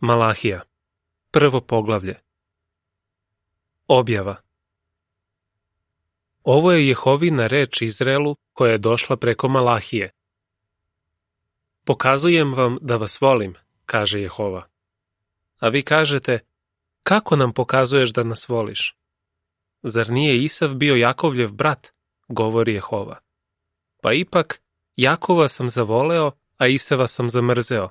Malahija, 1. poglavlje. Objava. Ovo je Jehovina reč Izraelu koja je došla preko Malahije. Pokazujem vam da vas volim, kaže Jehova. A vi kažete, kako nam pokazuješ da nas voliš? Zar nije Isav bio Jakovljev brat, govori Jehova. Pa ipak, Jakova sam zavoleo, a Isava sam zamrzeo,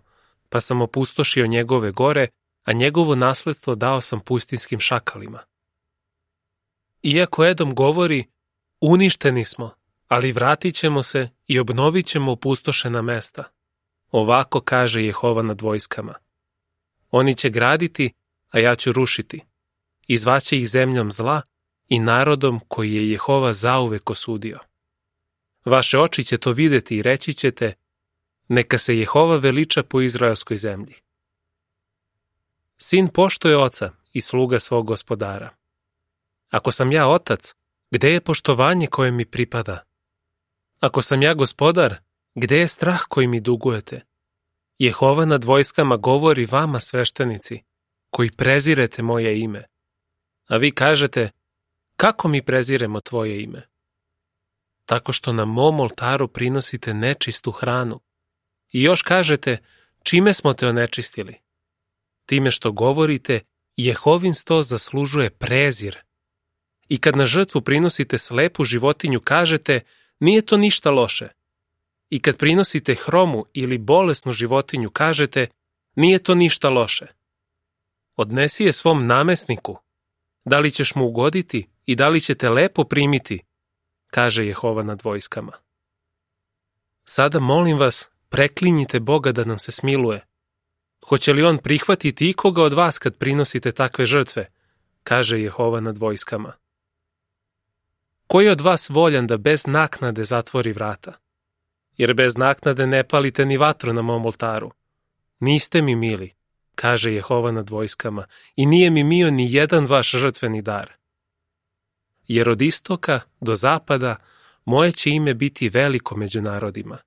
pa sam opustošio njegove gore, a njegovo nasledstvo dao sam pustinskim šakalima. Iako Edom govori, uništeni smo, ali vratit ćemo se i obnovit ćemo opustošena mesta. Ovako kaže Jehova nad vojskama. Oni će graditi, a ja ću rušiti. I zvaće ih zemljom zla i narodom koji je Jehova zauvek osudio. Vaše oči će to videti i reći ćete, neka se Jehova veliča po izraelskoj zemlji. Sin poštuje oca i sluga svog gospodara. Ako sam ja otac, gde je poštovanje koje mi pripada? Ako sam ja gospodar, gde je strah koji mi dugujete? Jehova nad vojskama govori vama, sveštenici, koji prezirete moje ime. A vi kažete, kako mi preziremo tvoje ime? Tako što na mom oltaru prinosite nečistu hranu. I još kažete, čime smo te onečistili? Time što govorite, Jehovin sto zaslužuje prezir. I kad na žrtvu prinosite slepu životinju, kažete, nije to ništa loše. I kad prinosite hromu ili bolesnu životinju, kažete, nije to ništa loše. Odnesi je svom namesniku. Da li ćeš mu ugoditi i da li ćete lepo primiti, kaže Jehova nad vojskama. Sada molim vas, preklinjite Boga da nam se smiluje. Hoće li on prihvatiti ikoga od vas kad prinosite takve žrtve, kaže Jehova nad vojskama. Ko je od vas voljan da bez naknade zatvori vrata? Jer bez naknade ne palite ni vatru na mom oltaru. Niste mi mili, kaže Jehova nad vojskama, i nije mi mio ni jedan vaš žrtveni dar. Jer od istoka do zapada moje će ime biti veliko među narodima.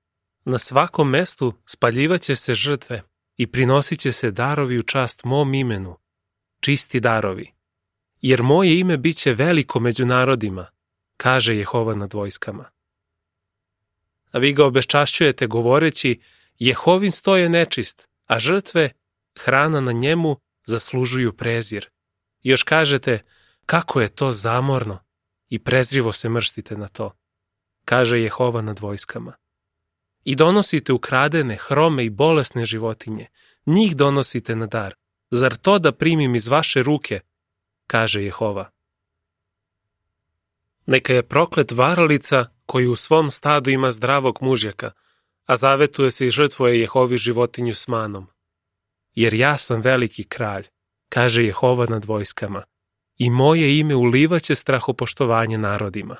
Na svakom mestu spaljivaće se žrtve i prinosit će se darovi u čast mom imenu, čisti darovi. Jer moje ime bit će veliko među narodima, kaže Jehova nad vojskama. A vi ga obeščašćujete govoreći, Jehovin sto je nečist, a žrtve, hrana na njemu, zaslužuju prezir. I još kažete, kako je to zamorno, i prezrivo se mrštite na to, kaže Jehova nad vojskama. I donosite ukradene, hrome i bolesne životinje, njih donosite na dar. Zar to da primim iz vaše ruke, kaže Jehova. Neka je proklet varalica koji u svom stadu ima zdravog mužjaka, a zavetuje se i žrtvuje Jehovi životinju s manom. Jer ja sam veliki kralj, kaže Jehova nad vojskama, i moje ime ulivaće strahopoštovanje narodima.